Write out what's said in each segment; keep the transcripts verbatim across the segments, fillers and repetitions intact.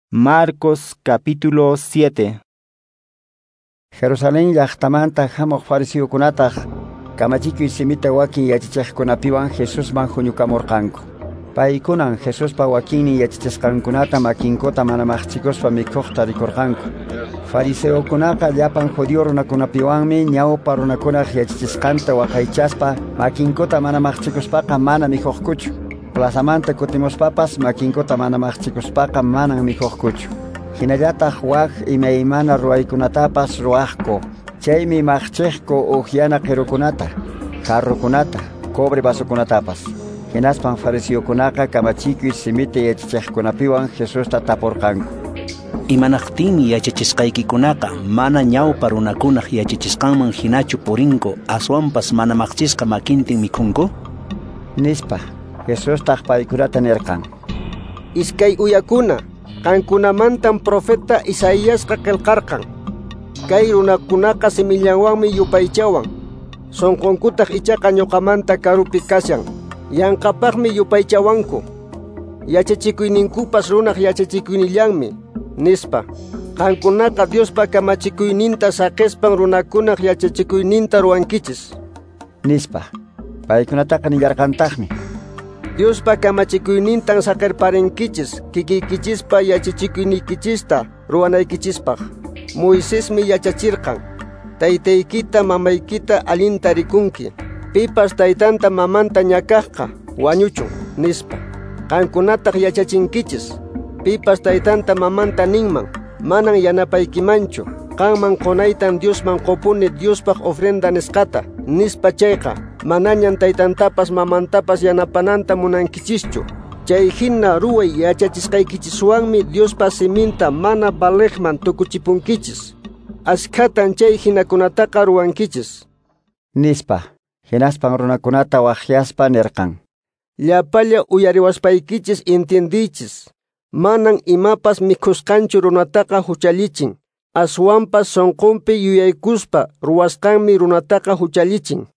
Marcos capítulo siete. Jerusalén llaqtamanta hamuq fariseokunataq kamachikuy simita wakin yachachiqkunapiwan Jesusman huñukamurqanku. Paykunan Jesuspa wakinnin yachachisqankunata makinkuta mana maqchikuspa mikhuqta rikurqanku. Fariseokunaqa llapan judío runakunapiwanmi ñawpa runakunaq yachachisqanta waqaychaspa makinkuta mana maqchikuspaqa mana mikhuqkuchu. Plazamanta kutimuspapas makinkuta mana maqchikuspaqa manan mikhuqkuchu. Hinallataq wak imaymana ruwaykunatapas ruwaqku. Chaymi maqchiqku uhyana qirukunata, jarrukunata, cobre vasokunatapas. Hinaspan fariseokunaqa kamachikuy simita yachachiqkunapiwan Jesusta tapurqanku. Imanaqtinmi yachachisqaykikunaqa mana ñawpa runakunaq yachachisqanman hinachu purinku, aswanpas mana maqchisqa makintin mikhunku? Nispa. Jesustaq paykunata nirqan: Iskay uyakuna, qankunamantan profeta Isaíasqa qillqarqan. Kay runakunaqa simillanwanmi yupaychawan, sunqunkutaq ichaqa ñuqamanta karupi kashan. Yanqapaqmi yupaychawanku. Yachachikuyninkupas runaq yachachikuynillanmi, nispa. Qankunaqa Diospa kamachikuyninta saqispan runakunaq yachachikuyninta ruwankichis, nispa. Paykunataqa nillarqantaqmi: Diospa kamachikuynintan saqirparinkichis kikiykichispa yachachikuynikichista ruwanaykichispaq. Moisesmi yachachirqan: taytaykita mamaykita allinta rikunki, pipas taytanta mamanta ñakaqqa wañuchun, nispa. Qankunataq yachachinkichis: pipas taytanta mamanta ninman, manan yanapaykimanchu, qanman qunaytan Diosman qupuni Diospaq ofrenda nisqata, nispa chayqa, manañan taytantapas mamantapas yanapananta munankichischu. Chay hina ruway yachachisqaykichiswanmi Diospa siminta mana valiqman tukuchipunkichis. Askhatan chay hinakunataqa ruwankichis, nispa. Hinaspan runakunata waqyaspa nirqan: Llapalla uyariwaspaykichis entiendiychis. Manan imapas mikhusqanchu runataqa huchallichin, aswanpas sunqunpi yuyaykuspa ruwasqanmi runataqa huchallichin.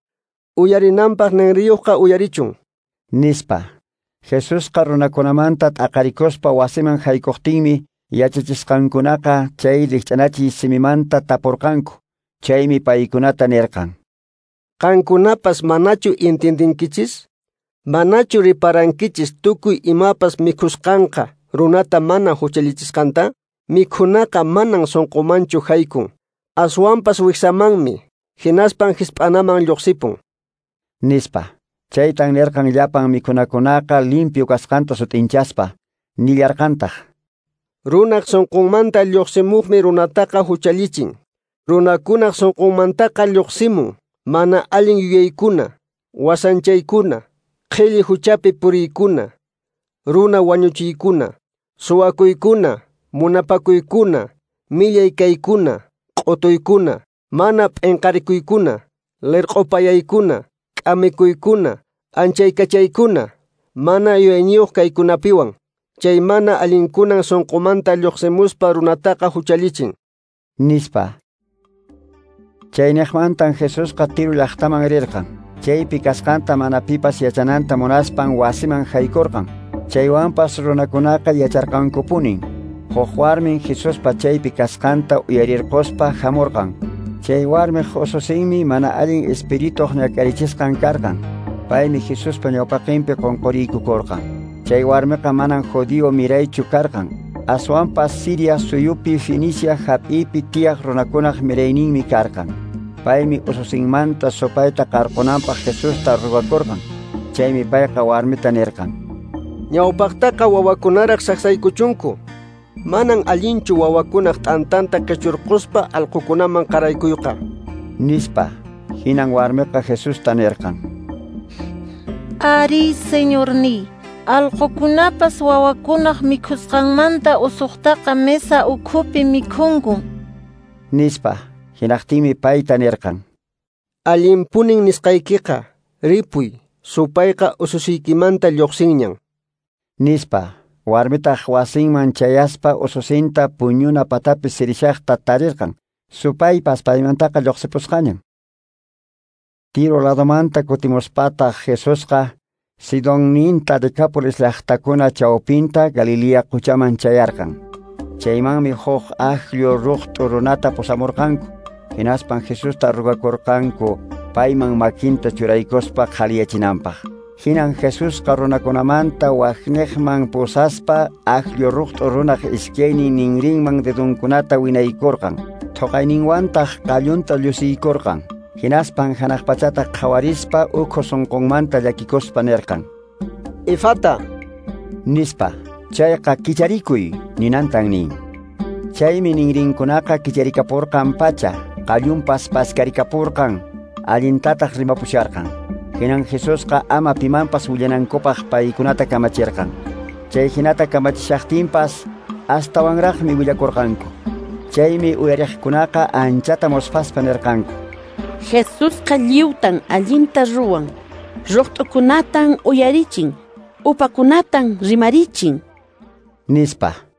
Uyarinanpaq ninriyuqqa uyarichun, nispa. Jesusqa runakunamanta t'aqarikuspa wasiman haykuqtinmi yachachisqankunaqa chay rikch'anachiy simimanta tapurqanku. Chaymi paykunata nirqan: Qankunapas manachu entiendinkichis? Manachu riparankichis tukuy imapas mikhusqanqa runata mana huchallichisqanta? Mikhunaqa manan sunqumanchu haykun, aswanpas wiksamanmi, hinaspan hisp'anaman lluqsipun, nispa. Chaytan nirqan llapan mikhunakunaqa limpio kasqanta sut'inchaspa. Nillarqantaq: Runaq sunqunmanta lluqsimuqmi runataqa huchallichin. Runakunaq sunqunmantaqa lluqsimun mana allin yuyaykuna, wasanchaykuna, qhilli huchapi puriykuna, runa wañuchiykuna, suwakuykuna, munapakuykuna, millay kaykuna, q'utuykuna, mana p'inqarikuykuna, lirq'upayaykuna, k'amikuykuna, anchaykachaykuna, mana yuyayniyuq kaykunapiwan. Chay mana allinkunan sunqumanta lluqsimuspa runataqa huchallichin, nispa. Chayniqmantan Jesusqa Tiro llaqtaman rirqan. Chaypi kasqanta mana pipas yachananta munaspan wasiman haykurqan. Chaywanpas runakunaqa yacharqankupunin. Huk warmin Jesuspa chaypi kasqanta uyarirquspa hamurqan. Chay warmiq ususinmi mana allin espirituq ñak'arichisqan karqan. Paymi Jesuspa ñawpaqinpi qunquriykukurqan. Chay warmiqa manan judío miraychu karqan, aswanpas Siria suyupi Fenicia hap'ipi tiyaq runakunaq mirayninmi karqan. Paymi ususinmanta supayta qarqunanpaq Jesusta ruwakurqan. Chaymi payqa warmita nirqan: Ñawpaqtaqa wawakunaraq saqsaykuchunku. Manan allinchu wawakunaq t'antanta qichurquspa allqukunaman qaraykuyqa, nispa. Hinan warmiqa Jesusta nirqan: Ari, Señorniy, allqukunapas wawakunaq mikhusqanmanta usuqtaqa mesa ukhupi mikhunkun, nispa. Hinaqtinmi payta nirqan: Allinpunin nisqaykiqa, ripuy, supayqa ususiykimanta lluqsinñan, nispa. Warmitaq wasinman chayaspa ususinta puñuna patapi sirishaqta tarirqan. Supaypas paymantaqa lluqsipusqañan. Tiro ladomanta kutimuspataq Jesusqa Sidonninta Decápolis llaqtakuna chawpinta Galilea quchaman chayarqan. Chaymanmi huk akllu ruqt'u runata pusamurqanku. Hinaspan Jesusta rugakurqanku payman makinta churaykuspa qhaliyachinanpaq. Hinan Jesusqa runakunamanta waqniqman pusaspa akllu ruqt'u runaq iskaynin ninrinman dedunkunata winaykurqan. Thuqayninwantaq qallunta llusiykurqan. Hinaspan hanaq pachata qhawarispa ukhu sunqunmanta llakikuspa nirqan: Efata, nispa. Chayqa kicharikuy ninantan nin. Chaymi ninrinkunaqa kicharikapurqan pacha, qallunpas paskarikapurqan, allintataq rimapusharqan. Hinan Jesusqa ama pimanpas willanankupaq paykunata kamachirqan. Chay hinata kamachishaqtinpas astawanraqmi willakurqanku. Chaymi uyariqkunaqa anchata musphaspa nirqanku: Jesusqa lliwtan allinta ruwan, ruqt'ukunatan uyarichin, upakunatan rimarichin, nispa.